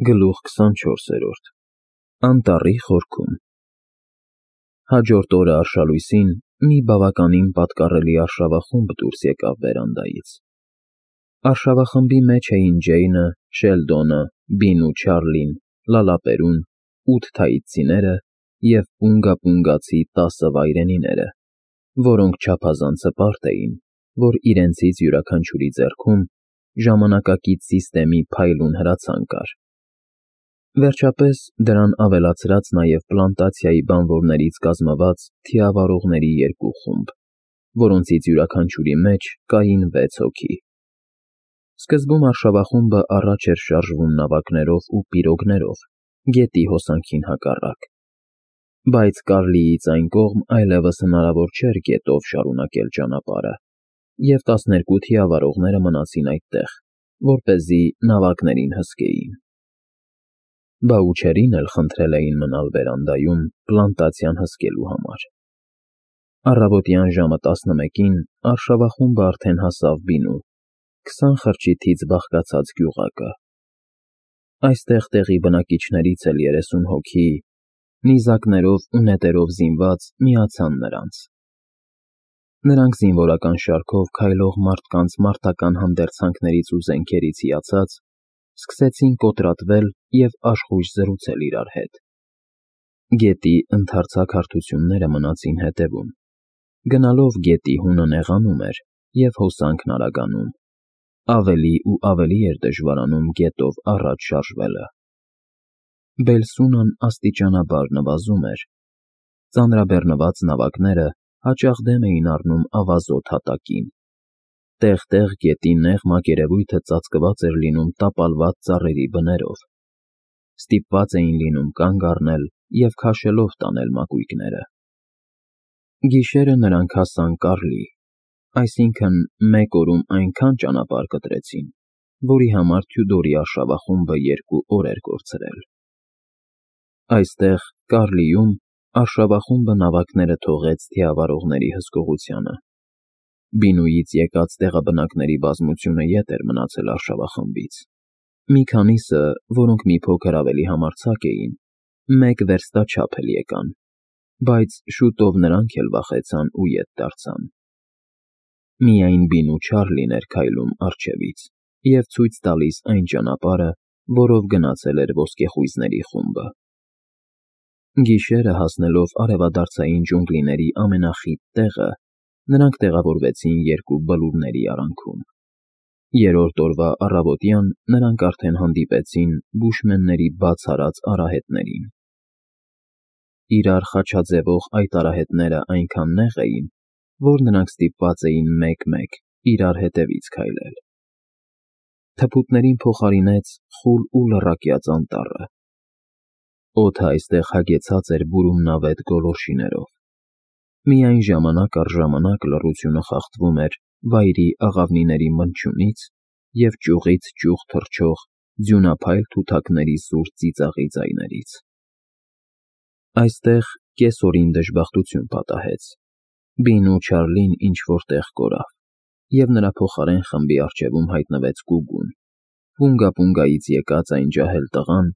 Գլուխ 24 Անտառի խորքում Հաջորդ օրը արշալույսին մի բավականին պատկառելի արշավախումբ դուրս եկավ վերանդայից։ Արշավախմբի մեջ էին Ջեյնը, Շելդոնը, Բինն ու Չարլին, Լալապերուն, 8 թայիցիները և պունգապունգացի 10 վայրենիները, որոնք չափազանց հպարտ էին, որ իրենցից յուրաքանչյուրի ձեռքում ժամանակակից սիստեմի փայլուն հրացան կար։ Վերջապես դրան ավելացրած նաև պլանտացիայի բանվորներից կազմված թիավարողների 2 խումբ, որոնցից յուրաքանչյուրի մեջ կային 6 հոգի։ Սկզբում արշավախումբը առաջ էր շարժվում նավակներով ու պիրոգներով, գետի հոսանքին հակառակ, բայց Կարլիից այն կողմ այլևս հնարավոր չէր գետով շարունակել ճանապարհը, և 12 թիավարողները մնացին այդտեղ, որպեսզի նավակներին հսկեին։ Բաուչերին էլ խնդրել էին մնալ վերանդայում պլանտացիան հսկելու համար։ Առավոտյան ժամը 11-ին արշավախումբը արդեն հասավ Բինու, 20 խրճիթից բաղկացած գյուղակը։ Այստեղ տեղի բնակիչներից էլ 30 հոգի, նիզակներով ու նետերով զինված, միացան նրանց։ Նրանք զինվորական շարքով քայլող մարդկանց մարտական հանդերձանքներից ու զենքերից հիացած, սկսեցին կոտրատվել և աշխույժ զրուցել իրար հետ։ Գետի ընդարձակ հարթությունները մնացին հետևում, գնալով գետի հունը նեղանում էր և հոսանքն արագանում, ավելի ու ավելի էր դժվարանում գետով առաջ շարժվելը։ Բելսունն աստիճանաբար նվազում էր, ծանրաբեռնված նավակները հաճախ դեմ էին առնում ավազոտ հատակին, տեղ-տեղ գետի նեղ մակերևույթը ծածկված էր լինում տապալված ծառերի բներով, ստիպված էին լինում կանգ առնել և քաշելով տանել մակույկները։ Գիշերը նրանք հասան Կարլի, այսինքն մեկ օրում այնքան ճանապարհ կտրեցին, որի համար Թյուդորի արշավախումբը 2 օր էր կորցրել։ Այստեղ, Կարլիում, արշավախումբը նավակները թողեց թիավարողների հսկողությանը։ Բինուից եկած տեղաբնակների բազմությունը ետ էր մնացել արշավախմբից։ Մի քանիսը, որոնք մի փոքր ավելի համարձակ էին, 1 վերստաչափ էլ եկան, բայց շուտով նրանք էլ վախեցան ու ետ դարձան։ Միայն Բինն ու Չարլին էր քայլում առջևից և ցույց տալիս այն ճանապարհը, որով գնացել էր ոսկեխույզների խումբը։ Գիշերը հասնելով արևադարձային ջունգլիների ամենախիտ տեղը, նրանք տեղավորվեցին 2 բլուրների արանքում։ Երրորդ օրվա առավոտյան նրանք արդեն հանդիպեցին բուշմենների բաց արած արահետներին։ Իրար խաչաձևող այդ արահետները այնքան նեղ էին, որ նրանք ստիպված էին մեկ-մեկ իրար հետևից քայլել։ Թփուտներին փոխարինեց խուլ ու լռակյաց անտառը։ Օդը այստեղ հագեցած էր բուրումնավետ գոլորշիներով։ Միայն ժամանակ առ ժամանակ լռությունը խախտվում էր վայրի աղավնիների մնչյունից և ճյուղից ճյուղ թռչող ձյունափայլ թութակների սուր ծիծաղի ձայներից։ Այստեղ կեսօրին դժբախտություն պատահեց։ Բինն ու Չարլին ինչ-որ տեղ կորավ, և նրա փոխարեն խմբի առջևում հայտնվեց Գուգուն, պունգապունգայից եկած այն ջահել տղան,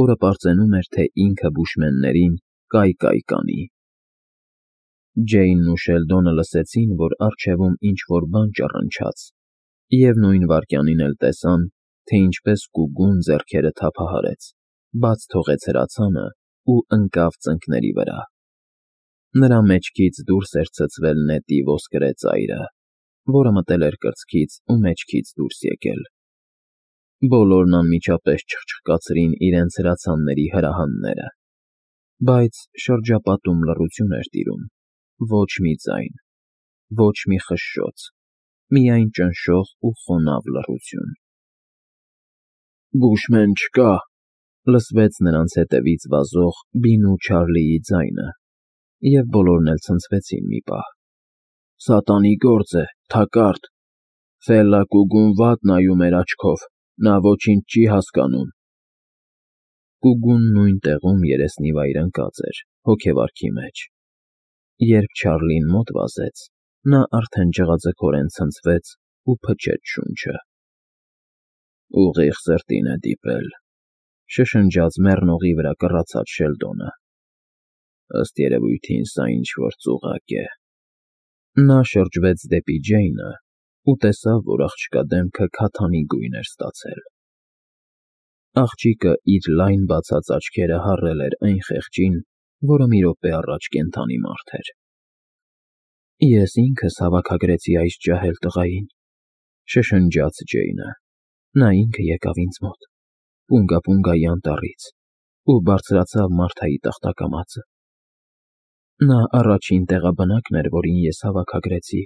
որը պարծենում էր, թե ինքը բուշմեններին կայ կանի։ Ջեյնն ու Շելդոնը լսեցին, որ առջևում ինչ-որ բան ճռնչաց, և նույն վայրկյանին էլ տեսան, թե ինչպես Գուգուն ձեռքերը թափահարեց, բաց թողեց հրացանը ու ընկավ ծնկների վրա։ Նրա մեջքից դուրս էր ցցվել նետի ոսկրե ծայրը, որը մտել էր կրծքից ու մեջքից դուրս եկել։ Բոլորն անմիջապես չխչխկացրին իրենց հրացանների հրահանները, բայց շրջապատում լռություն էր տիրում, ոչ մի ձայն, ոչ մի խշշոց, միայն ճնշող ու խոնավ լռություն։ «Բուշմեն չկա», լսվեց նրանց հետևից վազող Բինն ու Չարլիի ձայնը, և բոլորն էլ ցնցվեցին մի պահ։ «Սատանի գործ է, թակարդ, Ֆելլակուգուն վատ նայում էր աչքով, նա ոչինչ չի հասկանում»։ Գուգուն նույն տեղում երեսնիվայր ընկած էր, հոգեվարքի մեջ։ Երբ Չարլին մոտ վազեց, նա արդեն ջղաձգորեն ցնցվեց ու փչեց շունչը։ «Ուղիղ սրտին է դիպել», Շշնջաց մեռնողի վրա կռացած Շելդոնը։ Ըստ երևույթին սա ինչ-որ ծուղակ է։ Նա շրջվեց դեպի Ջեյնը ու տեսավ, որ աղջկա դեմքը քաթանի գույն էր ստացել։ Աղջիկը իր լայն բացած աչքերը հառել էր այն խեղճին, որը մի րոպե առաջ կենդանի մարդ էր։ Ես ինքս հավաքագրեցի այս ջահել տղային, շշնջաց Ջեյնը։ Նա ինքը եկավ ինձ մոտ, Պունգա-Պունգայի անտառից, ու բարձրացավ Մարթայի տախտակամածը։ Նա առաջին տեղաբնակն էր, որին ես հավաքագրեցի։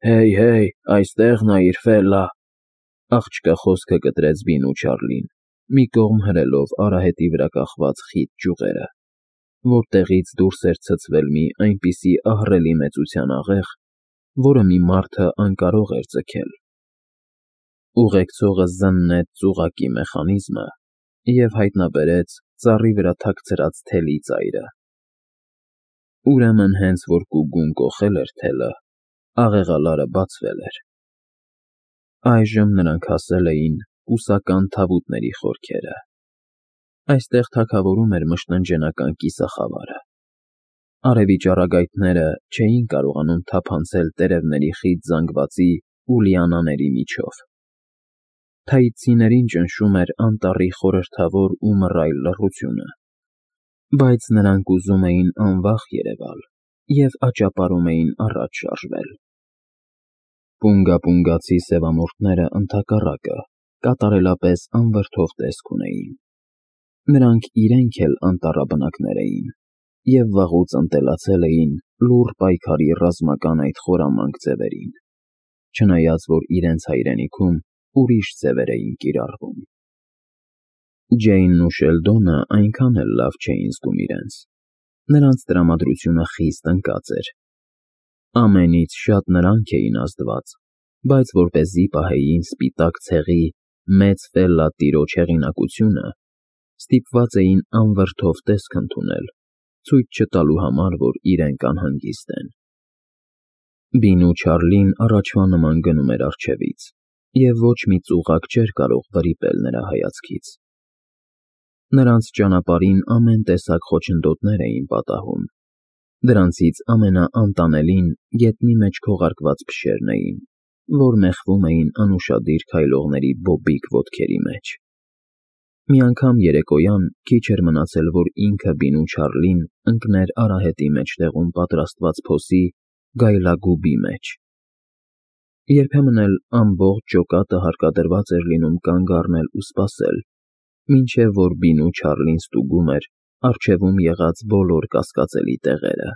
Հեյ, այստեղ նայիր, Ֆելլա։ Աղջկա խոսքը կտրեց Բինու Չարլին, մի կողմ հրելով արահետի վրա կախված խիտ ճյուղերը, որտեղից դուրս էր ցցվել մի այնպիսի ահռելի մեծության աղեղ, որը մի մարդը անկարող էր ձգել։ Ուղեկցողը զննեց ծուղակի մեխանիզմը և հայտնաբերեց ծառի վրա թաքցրած թելի ծայրը։ Ուրեմն հենց որ Կուգուն կոխել էր թելը, աղեղալարը բացվել էր։ Այժմ նրանք հասել էին կուսական թավուտների խորքերը։ Այստեղ թագավորում էր մշտնջենական կիսախավարը։ Արևի ճառագայթները չէին կարողանում թափանցել տերևների խիտ զանգվածի ու լիանաների միջով։ Թայծիներին ճնշում էր անտառի խորհրդավոր ու մռայլ լռությունը, բայց նրանք ուզում էին անվախ երևալ և աճապարում էին առաջ շարժվել։ Պունգա֊պունգացի սևամորթները ընդհակառակը կատարելապես անվրդով տեսք ունեին։ Նրանք իրենք էլ անտառաբնակներ էին և վաղուց ընտելացել էին լուռ պայքարի ռազմական այդ խորամանկ ձևերին, չնայած որ իրենց հայրենիքում ուրիշ ձևեր էին կիրառվում։ Ջեյնն ու Շելդոնը այնքան էլ լավ չէին զգում իրենց։ Նրանց տրամադրությունը խիստ ընկած էր։ Ամենից շատ նրանք էին ազդված, բայց որպեսզի պահեին սպիտակ ցեղի մեծ Ֆելլա տիրոջ հեղինակությունը, ստիպված էին անվրդով տեսք ընդունել, ցույց չտալու համար, որ իրենք անհանգիստ են։ Բինու Չարլին առաջվա նման գնում էր առջևից, և ոչ մի ծուղակ չէր կարող վրիպել նրա հայացքից։ Նրանց ճանապարհին ամեն տեսակ խոչընդոտներ էին պատահում։ Դրանցից ամենաանտանելին գետնի մեջ քողարկված փշերն էին, որ մեխվում էին անուշադիր քայլողների բոբիկ ոտքերի մեջ։ Մի անգամ երեկոյան քիչ էր մնացել, որ ինքը Բինու Չարլին ընկներ արահետի մեջտեղում պատրաստված փոսի գայլագուբի մեջ։ Երբեմն էլ ամբողջ ջոկատը հարկադրված էր լինում կանգ առնել ու սպասել, մինչև որ Բինու Չարլին ստուգում էր առջևում եղած բոլոր կասկածելի տեղերը,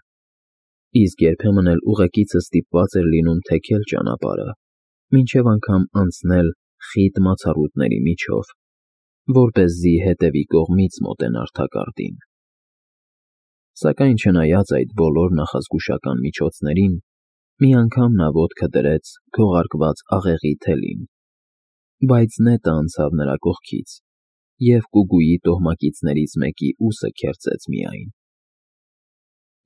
իսկ երբեմն էլ ուղեկիցը ստիպված էր լինում թեքել ճանապարհը, մինչև անգամ անցնել խիտ մացառուտների միջով, որպեսզի հետևի կողմից մոտենար թակարդին։ Սակայն չնայած այդ բոլոր նախազգուշական միջոցներին, մի անգամ նա ոտքը դրեց քողարկված աղեղի թելին, բայց նետը անցավ նրա կողքից, և Կուգուի տոհմակիցներից մեկի ուսը քերծեց միայն։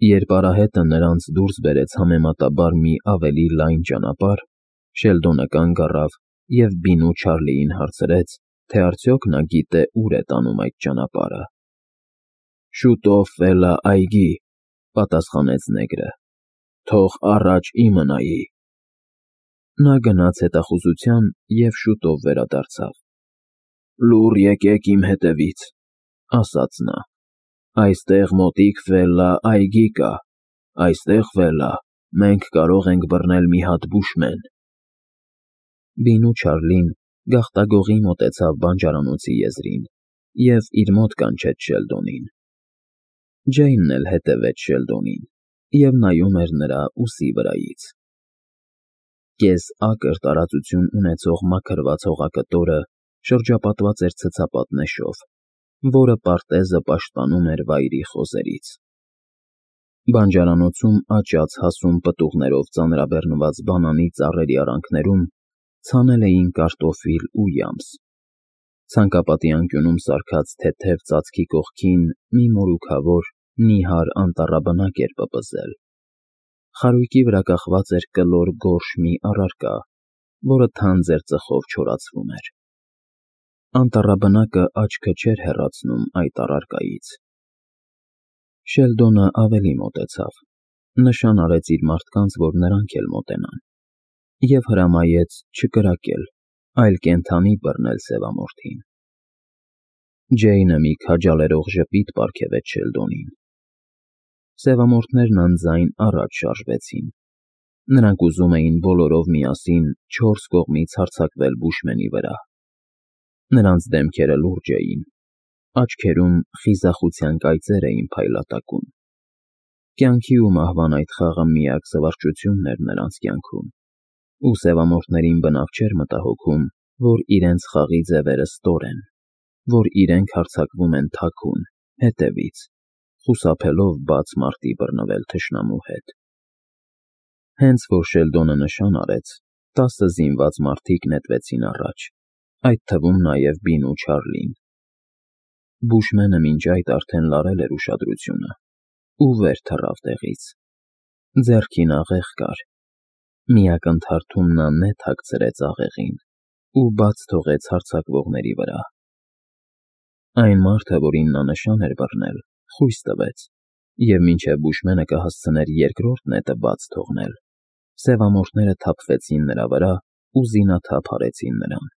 Երբ արահետը նրանց դուրս բերեց համեմատաբար մի ավելի լայն ճանապարհ, Շելդոնը կանգ առավ և Բինու Չարլիին հարցրեց, թե արդյոք նա գիտե ուր է տանում այդ ճանապարհը։ Շուտով, Ֆելլա, այգի, պատասխանեց նեգրը, թող առաջ իմը նայի։ Նա գնաց հետախուզության և շուտով վերադարձավ։ Լուռ եկեք իմ հետևից, ասաց նա։ Այստեղ մոտիկ Ֆելլա այգի կա, այստեղ, Ֆելլա, մենք կարող ենք բռնել մի հատ բուշմեն։ Բինու Չարլին գաղտագողի մոտեցավ բանջարանոցի եզրին և իր մոտ կանչեց Շելդոնին։ Ջեյնն էլ հետևեց Շելդոնին և նայում էր նրա ուսի վրայից։ Կես֊ակր տարածություն ունեցող մաքրված հողակտորը շրջապատված էր ցցապատ նեշով, որը պարտեզը պաշտպանում էր վայրի խոզերից։ Բանջարանոցում աճած հասուն պտուղներով ծանրաբեռնված բանանի ծառերի արանքներում ցանել էին կարտոֆիլ ու յամս։ Ցանկապատի անկյունում սարքած թեթև ծածկի կողքին մի մորուքավոր, նիհար անտառաբնակ էր պպզել։ Խարույկի վրա կախված էր կլոր գորշ մի առարկա, որը թանձր ծխով չորացվում էր։ Անտառաբնակը աչքը չէր հեռացնում այդ առարկայից։ Շելդոնը ավելի մոտեցավ, նշան արեց իր մարդկանց, որ նրանք էլ մոտենան, և հրամայեց չկրակել, այլ կենդանի բռնել սևամորթին։ Ջեյնը մի քաջալերող ժպիտ պարգևեց Շելդոնին։ Սևամորթներն անձայն առաջ շարժվեցին։ Նրանք ուզում էին բոլորով միասին 4 կողմից հարձակվել բուշմենի վրա։ Նրանց դեմքերը լուրջ էին, աչքերում խիզախության կայծեր էին փայլատակում։ Կյանքի ու մահվան այդ խաղը միակ զվարճությունն էր նրանց կյանքում, ու սևամորթներին բնավ չէր մտահոգում, որ իրենց խաղի ձևերը ստոր են, որ իրենք հարձակվում են թաքուն, հետևից, խուսափելով բաց մարտի բռնվել թշնամու հետ։ Հենց որ Շելդոնը նշան արեց, 10 զինված մարդիկ նետվեցին առաջ, այդ թվում նաև Բին ու Չարլին։ Բուշմենը մինչ այդ արդեն լարել էր ուշադրությունը ու վեր թռավ տեղից։ Ձեռքին աղեղ կար, մի ակնթարթում նա նետ հագցրեց աղեղին ու բաց թողեց հարձակվողների վրա։ Այն մարդը, որին նա նշան էր բռնել, խույս տվեց, և մինչև բուշմենը կհասցներ երկրորդ նետը բաց թողնել, սևամորթները թափվեցին նրա վրա ու զինաթափ արեցին նրան։